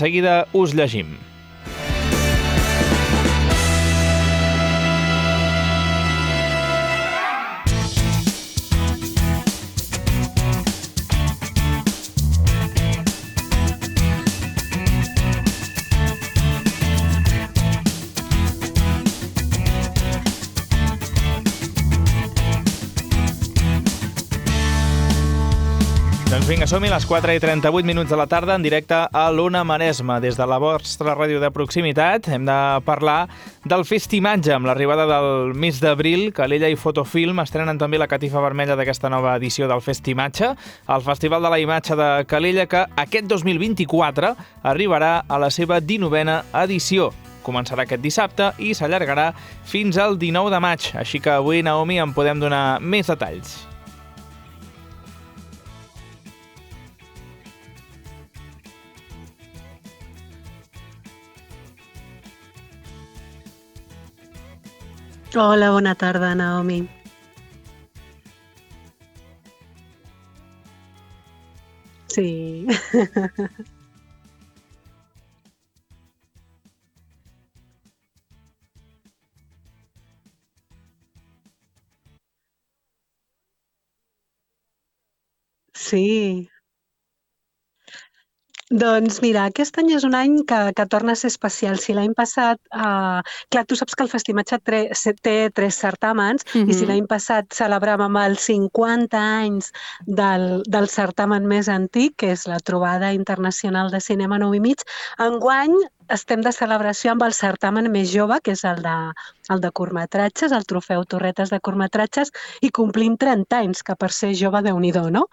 seguida us llegim. Doncs vinga, som-hi, les 4:38 de la tarda, en directe a l'Ona Maresme. Des de la vostra ràdio de proximitat hem de parlar del Festimatge. Amb l'arribada del mes d'abril, Calella i Fotofilm estrenen també la catifa vermella d'aquesta nova edició del Festimatge, el Festival de la Imatge de Calella, que aquest 2024 arribarà a la seva 19a edició. Començarà aquest dissabte i s'allargarà fins al 19 de maig. Així que avui, Naomi, en podem donar més detalls. Hola, bona tarda, Naomi. Sí. Sí. Doncs mira, aquest any és un any que torna a ser especial. Si l'any passat, clar, tu saps que el Festimatge té 3 certàmens i si l'any passat celebràvem els 50 anys del certamen més antic, que és la Trobada Internacional de Cinema 9 i mig, enguany estem de celebració amb el certamen més jove, que és el de curtmetratges, el Trofeu Torretes de curtmetratges, i complim 30 anys, que per ser jove, Déu-n'hi-do, no?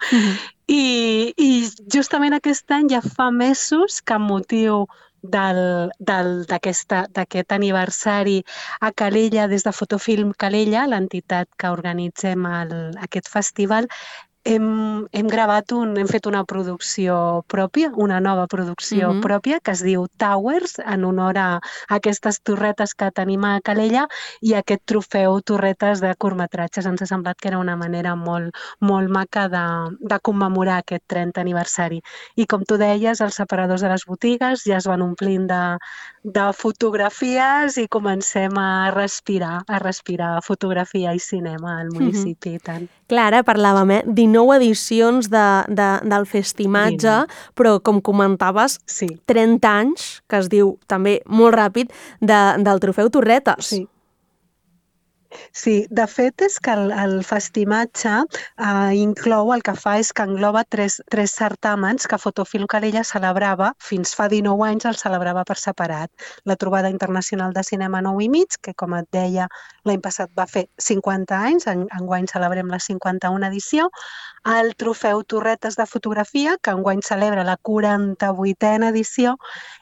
I justament aquest any ja fa mesos que amb motiu d'aquest aniversari a Calella, des de Fotofilm Calella, l'entitat que organitzem aquest festival, hem fet una producció pròpia, una nova producció pròpia, que es diu Towers, en honor a aquestes torretes que tenim a Calella, i aquest trofeu Torretes de curtmetratges. Ens ha semblat que era una manera molt, molt maca de commemorar aquest 30 aniversari. I com tu deies, els separadors de les botigues ja es van omplint de fotografies i comencem a respirar fotografia i cinema al municipi i tant. Clar, ara parlàvem, 19 edicions del Festimatge, però com comentaves, 30 anys, que es diu també molt ràpid, del Trofeu Torretes. Sí, de fet és que el Festimatge inclou, el que fa és que engloba tres certàmens que Fotofilm Calella celebrava, fins fa 19 anys el celebrava per separat. La Trobada Internacional de Cinema 9 i mig, que com et deia l'any passat va fer 50 anys, enguany celebrem la 51a edició, el Trofeu Torretes de Fotografia, que enguany celebra la 48a edició,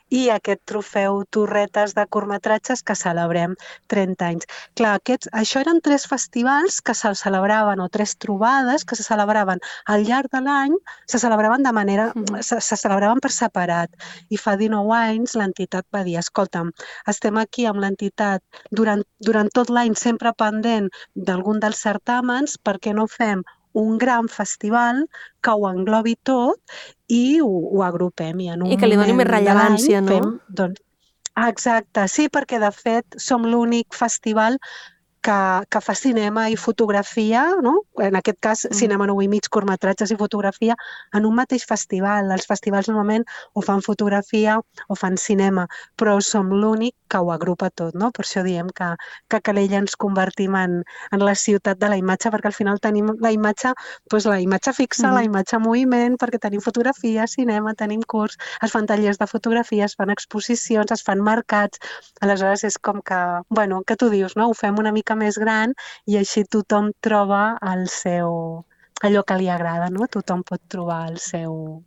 i aquest Trofeu Torretes de curtmetratges que celebrem 30 anys. Clar, això eren 3 festivals que se celebraven, o 3 trobades que se celebraven al llarg de l'any, se celebraven se celebraven per separat. I fa 19 anys l'entitat va dir, escolta'm, estem aquí amb l'entitat durant tot l'any sempre pendent d'algun dels certàmens, per què no fem un gran festival que ho englobi tot i ho agrupem. I que li doni més rellevància, no? Exacte, sí, perquè de fet som l'únic festival que fa cinema i fotografia, no? En aquest cas, cinema 9 i mig, curtmetratges i fotografia, en un mateix festival. Els festivals normalment o fan fotografia o fan cinema, però som l'únic que ho agrupa tot, no? Per això diem que a Calella ens convertim en la ciutat de la imatge, perquè al final tenim la imatge fixa, la imatge en moviment, perquè tenim fotografia, cinema, tenim curs, es fan tallers de fotografia, es fan exposicions, es fan mercats. Aleshores és com que tu dius, no? Ho fem una mica més gran i així tothom troba allò que li agrada, no? Tothom pot trobar el seu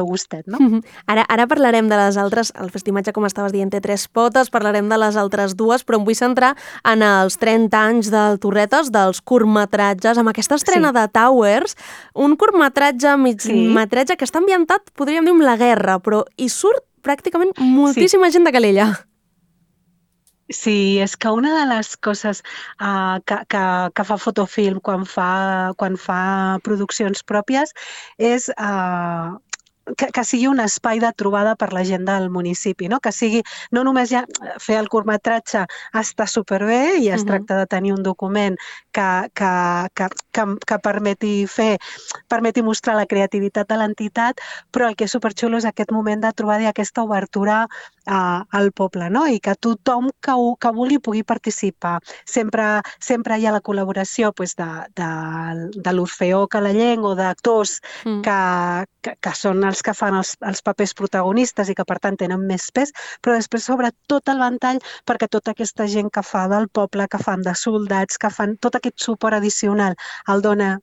gustet, no? Ara parlarem de les altres, el Festimatge, com estaves dient, té 3 potes, parlarem de les altres 2, però em vull centrar en els 30 anys del Torretes, dels curtmetratges, amb aquesta estrena de Towers, un curtmetratge, migmetratge, que està ambientat, podríem dir, amb la guerra, però hi surt pràcticament moltíssima gent de Calella. Sí, és que una de les coses que fa Fotofilm quan fa produccions pròpies és que sigui un espai de trobada per la gent del municipi, no? Que sigui, no només ja fer el curtmetratge està superbé i es tracta de tenir un document que permeti mostrar la creativitat de l'entitat, però el que és superxulo és aquest moment de trobada i aquesta obertura al poble, no? I que tothom que vulgui pugui participar. Sempre hi ha la col·laboració de l'Orfeó Calellenc o d'actors que són els que fan els papers protagonistes i que per tant tenen més pes, però després s'obre tot el ventall perquè tota aquesta gent que fa del poble, que fan de soldats, que fan tot aquest suport addicional el dona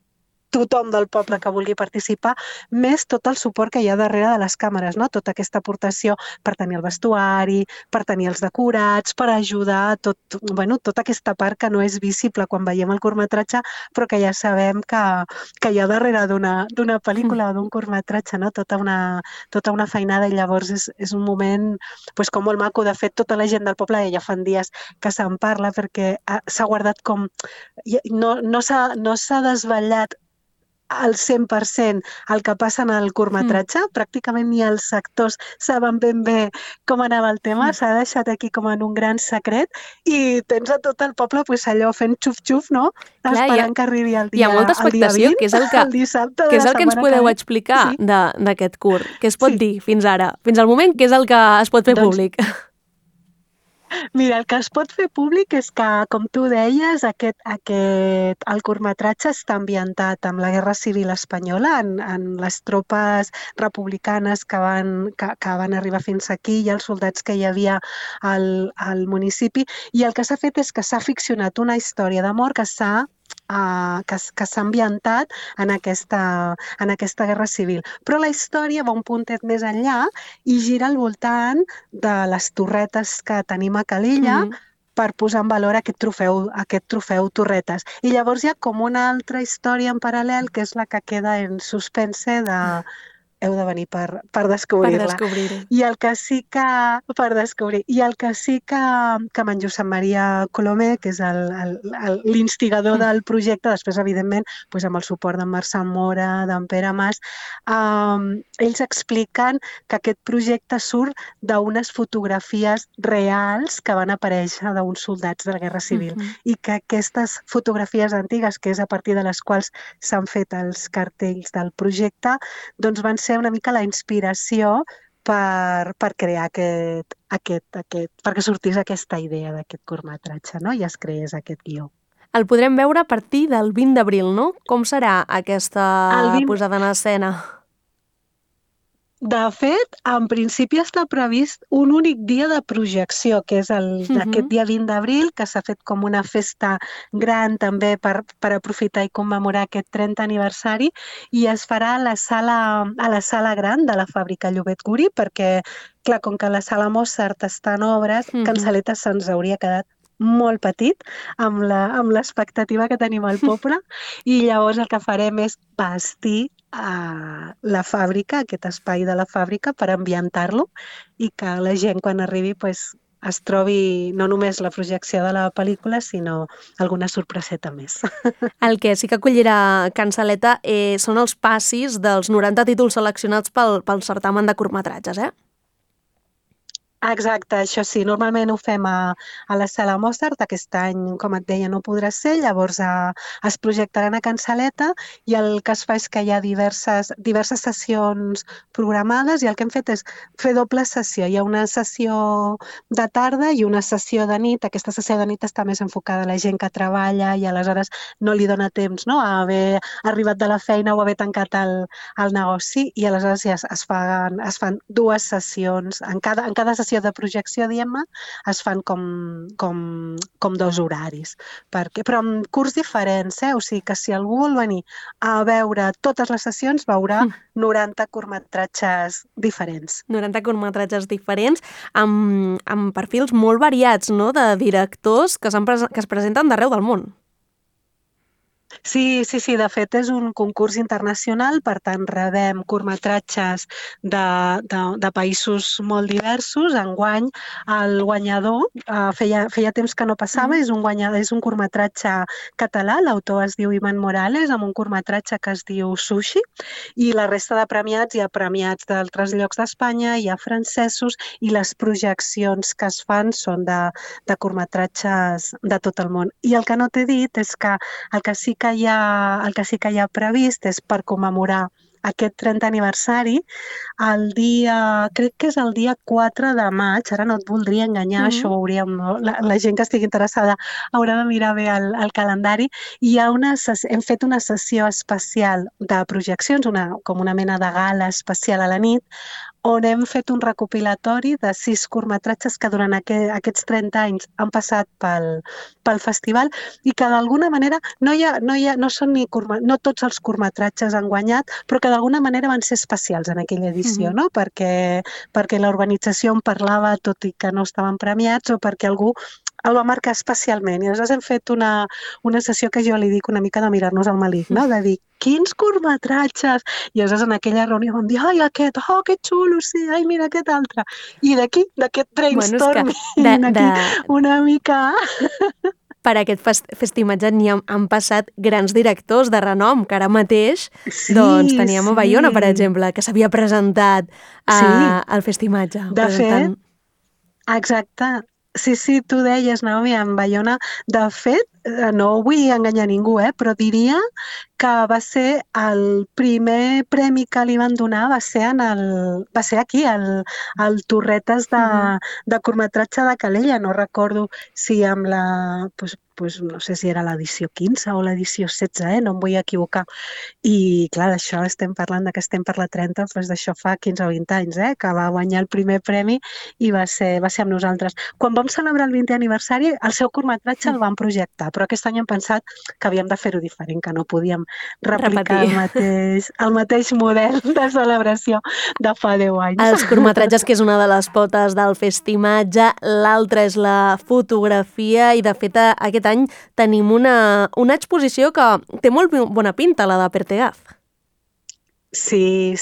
tothom del poble que vulgui participar, més tot el suport que hi ha darrere de les càmeres, no? Tota aquesta aportació per tenir el vestuari, per tenir els decorats, per ajudar tota aquesta part que no és visible quan veiem el curtmetratge, però que ja sabem que hi ha darrere d'una pel·lícula o d'un curtmetratge, no? Tota una feinada, i llavors és un moment com molt maco. De fet, tota la gent del poble ja fan dies que se'n parla perquè s'ha guardat com... No s'ha desvetllat al 100% el que passa en el curtmetratge, pràcticament ni els actors saben ben bé com anava el tema, s'ha deixat aquí com en un gran secret i tens a tot el poble allò fent xuf-xuf, no? Esperant que arribi el dia 20, hi ha molta expectació, que és el que ens podeu explicar d'aquest curt. Què es pot dir fins ara? Fins al moment, què és el que es pot fer públic? Mira, el que es pot fer públic és que, com tu deies, el curtmetratge està ambientat amb la Guerra Civil Espanyola, en les tropes republicanes que van arribar fins aquí i els soldats que hi havia al municipi, i el que s'ha fet és que s'ha ficcionat una història d'amor que s'ha ambientat en aquesta guerra civil. Però la història va un puntet més enllà i gira al voltant de les torretes que tenim a Calella per posar en valor aquest trofeu Torretes. I llavors hi ha com una altra història en paral·lel que és la que queda en suspense de... Heu de venir per descobrir-la. Per descobrir-ho. I el que sí que... Per descobrir. I el que sí que en Josep Maria Colomer, que és l'instigador del projecte, després, evidentment, amb el suport d'en Marçal Mora, d'en Pere Mas, ells expliquen que aquest projecte surt d'unes fotografies reals que van aparèixer d'uns soldats de la Guerra Civil i que aquestes fotografies antigues, que és a partir de les quals s'han fet els cartells del projecte, doncs van ser una mica la inspiració per crear perquè sortís aquesta idea d'aquest curtmetratge, no? I es creés aquest guió. El podrem veure a partir del 20 d'abril, no? Com serà aquesta posada en escena? De fet, en principi està previst un únic dia de projecció, que és aquest dia 20 d'abril, que s'ha fet com una festa gran també per aprofitar i commemorar aquest 30 aniversari, i es farà a la sala gran de la fàbrica Llobet Guri, perquè, clar, com que la sala Mozart està en obres, Cansaleta se'ns hauria quedat molt petit amb l'expectativa que tenim al poble, i llavors el que farem és vestir la fàbrica, aquest espai de la fàbrica, per ambientar-lo i que la gent quan arribi es trobi no només la projecció de la pel·lícula, sinó alguna sorpreseta més. El que sí que acollirà Cansaleta són els passis dels 90 títols seleccionats pel certamen de curtmetratges, eh? Exacte, això sí, normalment ho fem a la sala Mozart, aquest any, com et deia, no podrà ser, llavors es projectaran a Cansaleta, i el que es fa és que hi ha diverses sessions programades, i el que hem fet és fer doble sessió. Hi ha una sessió de tarda i una sessió de nit. Aquesta sessió de nit està més enfocada a la gent que treballa i aleshores no li dona temps, no?, a haver arribat de la feina o haver tancat el negoci, i aleshores ja es fan dues sessions. En cada sessió de projecció, diguem-ne, es fan com dos horaris. Però amb curts diferents, o sigui que si algú vol venir a veure totes les sessions, veurà 90 curtmetratges diferents. 90 curtmetratges diferents, amb perfils molt variats, no?, de directors que es presenten d'arreu del món. Sí, de fet és un concurs internacional, per tant rebem curtmetratges de països molt diversos. Enguany el guanyador, feia temps que no passava, és un curtmetratge català, l'autor es diu Iman Morales, amb un curtmetratge que es diu Sushi, i la resta de premiats, hi ha premiats d'altres llocs d'Espanya, hi ha francesos, i les projeccions que es fan són de curtmetratges de tot el món. I el que no t'he dit és que el que sí que hi ha previst és per commemorar aquest 30 aniversari, crec que és el dia 4 de maig, ara no et voldria enganyar, això ho hauríem, no? La gent que estigui interessada haurà de mirar bé el calendari, i hem fet una sessió especial de projeccions, com una mena de gala especial a la nit, on hem fet un recopilatori de 6 curtmetratges que durant aquests 30 anys han passat pel festival i que d'alguna manera no tots els curtmetratges han guanyat, però que d'alguna manera van ser especials en aquella edició, no? Perquè l'organització en parlava tot i que no estaven premiats, o perquè algú el va marcar especialment. I aleshores hem fet una sessió que jo li dic una mica de mirar-nos al malic, no? De dir, quins curtmetratges! I aleshores en aquella reunió vam dir, ai, aquest, oh, que xulo, sí, ai, mira aquest altre. I d'aquí, d'aquest brainstorming, una mica... Per aquest festimatge han passat grans directors de renom, que ara mateix teníem a Baiona, per exemple, que s'havia presentat al festimatge. De fet, exacte. Sí, tu deies, Naomi, en Baiona. De fet, no vull enganyar ningú, però diria que va ser el primer premi que li van donar, va ser aquí, al Torretes de curtmetratge de Calella. No recordo si amb la... no sé si era l'edició 15 o l'edició 16, no em vull equivocar. I, clar, d'això estem parlant que estem per la 30, doncs d'això fa 15 o 20 anys, que va guanyar el primer premi i va ser amb nosaltres. Quan vam celebrar el 20è aniversari, el seu curtmetratge el vam projectar, però aquest any hem pensat que havíem de fer-ho diferent, que no podíem replicar el mateix model de celebració de fa 10 anys. Els curtmetratges, que és una de les potes del festimatge, l'altra és la fotografia, i de fet aquest any tenim una exposició que té molt bona pinta, la de Pertegaz. Sí.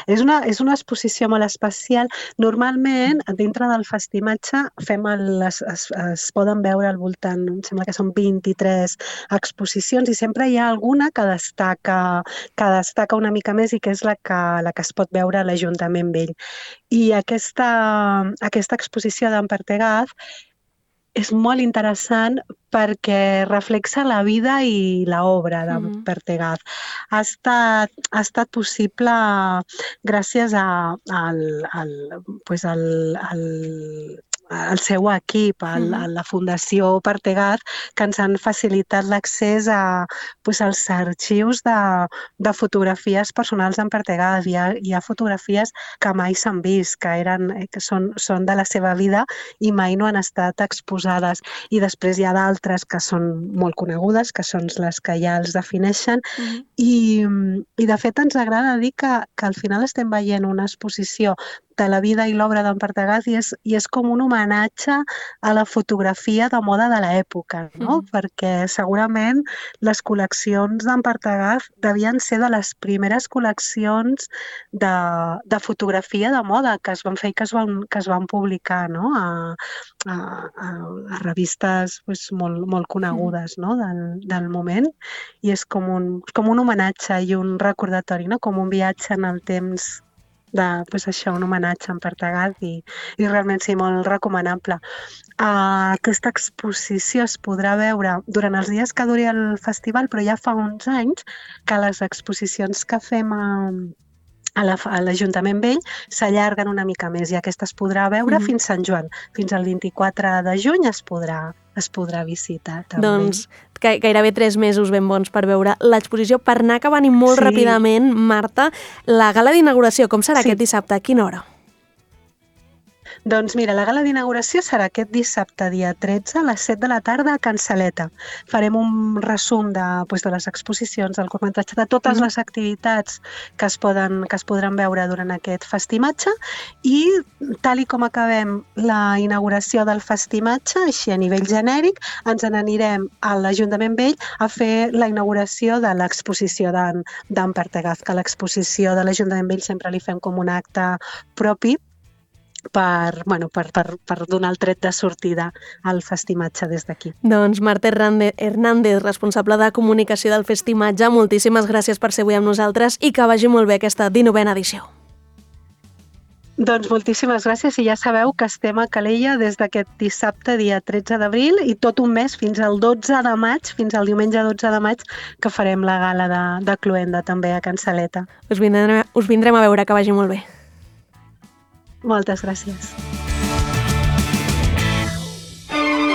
És una exposició molt especial. Normalment, dintre del festimatge, es poden veure al voltant, em sembla que són 23 exposicions, i sempre hi ha alguna que destaca una mica més, i que és la que es pot veure a l'Ajuntament Vell. I aquesta exposició d'en Pertegaz és molt interessant perquè reflexa la vida i l'obra de Pertegaz. Ha estat possible gràcies al seu equip, a la Fundació Pertegaz, que ens han facilitat l'accés als arxius de fotografies personals d'en Pertegaz. Hi ha fotografies que mai s'han vist, que són de la seva vida i mai no han estat exposades. I després hi ha d'altres que són molt conegudes, que són les que ja els defineixen. I de fet ens agrada dir que al final estem veient una exposició de la vida i l'obra d'en Pertegaz, i és com un homenatge a la fotografia de moda de l'època, no? Perquè segurament les col·leccions d'en Pertegaz devien ser de les primeres col·leccions de fotografia de moda que es van fer i que es van publicar, no? A revistes molt conegudes, no? del moment, i és com un homenatge i un recordatori, no? Com un viatge en el temps un homenatge a en Pertegaz, i realment sí, molt recomanable. Aquesta exposició es podrà veure durant els dies que duri el festival, però ja fa uns anys que les exposicions que fem a l'Ajuntament Vell s'allarguen una mica més, i aquesta es podrà veure fins Sant Joan. Fins al 24 de juny es podrà visitar. També. Doncs gairebé 3 mesos ben bons per veure l'exposició. Per anar acabant i molt ràpidament, Marta, la gala d'inauguració, com serà aquest dissabte? A quina hora? Doncs mira, la gala d'inauguració serà aquest dissabte, dia 13, a les 7 de la tarda a Can Saleta. Farem un resum de les exposicions, del curtmetratge, de totes les activitats que es podran veure durant aquest festimatge i tal i com acabem la inauguració del festimatge, així a nivell genèric, ens n'anirem a l'Ajuntament Vell a fer la inauguració de l'exposició d'en Pertegaz, que a l'exposició de l'Ajuntament Vell sempre li fem com un acte propi per donar el tret de sortida al festimatge des d'aquí. Doncs Marta Hernández, responsable de comunicació del festimatge, moltíssimes gràcies per ser avui amb nosaltres i que vagi molt bé aquesta 19a edició. Doncs moltíssimes gràcies i ja sabeu que estem a Calella des d'aquest dissabte, dia 13 d'abril, i tot un mes fins al 12 de maig, fins al diumenge 12 de maig, que farem la gala de Cloenda també a Can Saleta. Us vindrem a veure, que vagi molt bé. Moltes gràcies.